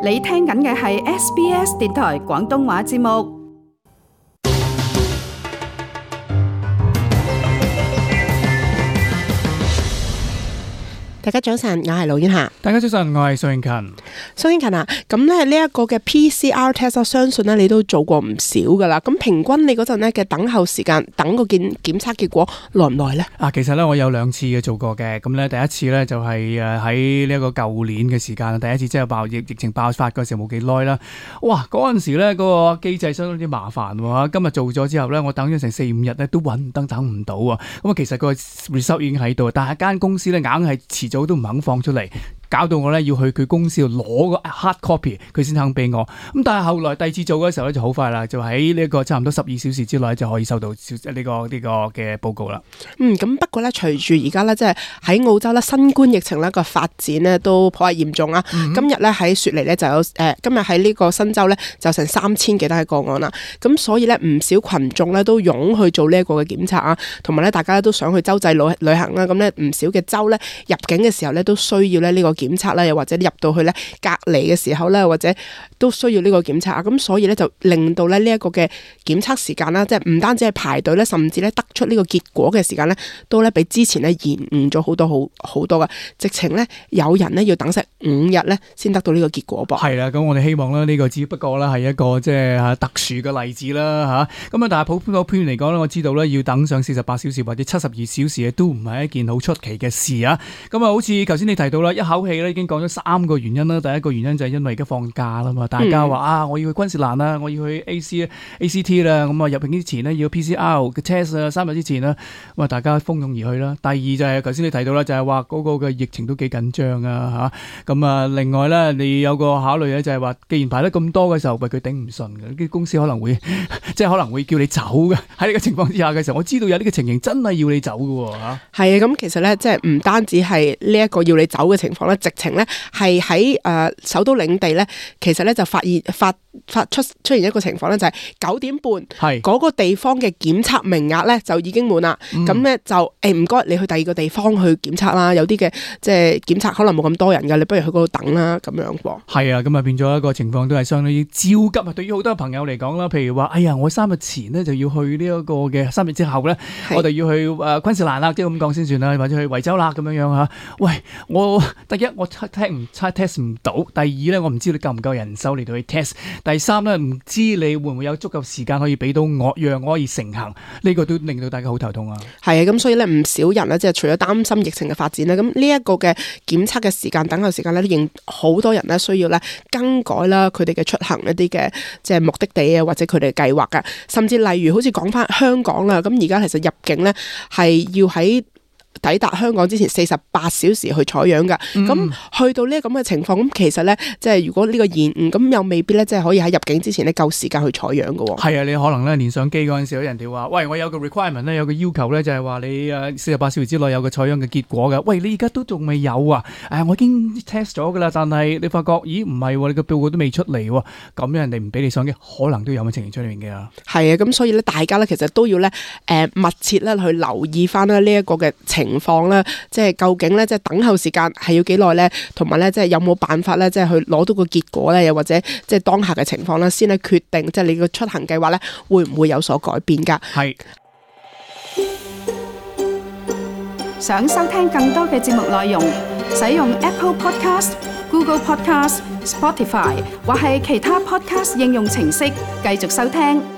你聽緊嘅係 SBS 電台廣東話節目。大家早晨，我係盧婉霞。大家早晨，我係蘇永勤。蘇永勤啊，咁咧呢一個嘅 PCR test， 我相信咧你都做過唔少噶啦。咁平均你嗰陣咧嘅等候時間，等個檢測結果耐唔耐咧？其實咧我有2次嘅做過嘅。咁咧第一次咧就係喺呢一個舊年嘅時間，第一次即係疫情爆發嗰時候冇幾耐啦。哇！嗰陣時咧嗰個機制相當之麻煩喎。今日做咗之後咧，我等咗成4-5日咧都等唔到啊。咁啊，其實個 result 已經喺度，但係間公司咧硬係遲早都唔肯放出嚟，搞到我咧要去佢公司度攞個 hard copy， 佢先肯俾我。咁但係後來第二次做嘅時候咧就好快啦，就喺呢一個差唔多12小時之內就可以收到呢個嘅報告啦。咁不過咧，隨住而家咧即係喺澳洲咧新冠疫情咧個發展咧都頗為嚴重啊。今日咧喺雪梨咧就有今日喺呢個新州咧就成3000幾單嘅個案啦。咁所以咧唔少群眾咧都湧去做呢一個嘅檢測啊，同埋咧大家都想去州際旅行啦。咁咧唔少嘅州咧入境嘅時候咧都需要咧呢個檢測啦，又或者入到去咧隔離嘅時候咧，或者都需要呢個檢測啊。咁所以咧就令到咧呢一個嘅檢測時間啦，即係唔單止係排隊咧，甚至咧得出呢個結果嘅時間咧，都咧比之前咧延誤咗好多噶。直情咧有人咧要等成5日咧先得到呢個結果噃。係啦，咁我哋希望咧呢個只不過咧係一個即係特殊嘅例子啦嚇。咁啊，但係普遍嚟講咧，我知道咧要等上48小時或者72小時都唔係一件好出奇嘅事啊。咁啊，好似頭先你提到啦，一口氣咧已經講咗3個原因啦。第一個原因就係因為而家放假啦嘛，大家話我要去昆士蘭啦，我要去 ACT 啦，咁啊入境之前呢，要 PCR 嘅 test 啊，3日之前啦，咁啊大家蜂擁而去啦。第二就係頭先你提到啦，就係話嗰個嘅疫情都幾緊張啊嚇。咁啊，另外咧你有個考慮咧就係話，既然排得咁多嘅時候，佢頂唔順嘅，啲公司可能會即係可能會叫你走嘅。喺呢個情況之下嘅時候，我知道有呢個情形真係要你走嘅喎嚇。係啊，咁其實咧即係唔單止係呢一個要你走嘅情況咧，直情咧係喺首都領地咧，其實咧就發出現一個情況咧，就係9點半嗰個地方嘅檢測名額咧就已經滿啦。咁咧就唔該你去第二個地方去檢測啦。有啲嘅即係檢測可能冇咁多人㗎，你不如去嗰度等啦咁樣喎。係啊，咁啊變咗一個情況都係相當於焦急啊！對於好多朋友嚟講啦，譬如話，哎呀，我3日前呢就要去呢一個嘅3日之後咧，我哋要去昆士蘭啦，即係咁講先算啦，或者去維州啦咁樣樣嚇。喂，第一我test 唔到，第二咧我唔知你夠唔夠人手嚟到去 test， 第三咧唔知你會唔會有足夠時間可以俾到我，讓我可以成行，呢個都令到大家好頭痛啊。係啊，咁所以咧唔少人咧即係除咗擔心疫情嘅發展咧，咁呢一個嘅檢測嘅時間、等候時間咧，仍好多人咧需要咧更改啦佢哋嘅出行一啲嘅即係目的地啊，或者佢哋嘅計劃噶，甚至例如好似講翻香港啦，咁而家其實入境咧係要喺抵達香港之前48小時去採樣噶，咁去到呢咁嘅情況，咁其實咧即係如果呢個延誤，咁又未必咧即係可以喺入境之前咧夠時間去採樣噶。係啊，你可能咧連上機嗰陣時，人哋話喂，我有個 requirement 咧，有個要求咧，就係話你48小時之內有個採樣嘅結果嘅。喂，你而家都仲未有啊？我已經 test 咗噶啦，但係你發覺咦唔係喎，你個報告都未出嚟喎，咁人哋唔俾你上機，可能都有咁嘅情形出面嘅。係啊，咁所以咧大家咧其實都要咧密切咧去留意翻呢一個嘅情況啦，即係究竟咧即係等候時間係要幾耐咧，同埋咧即係有冇辦法咧即係去攞到個結果咧，又或者即係當下嘅情況啦，先去決定即係你個出行計劃咧會唔會有所改變噶。係。想收聽更多嘅節目內容，使用 Apple Podcast、Google Podcast、Spotify 或係其他 Podcast 應用程式繼續收聽。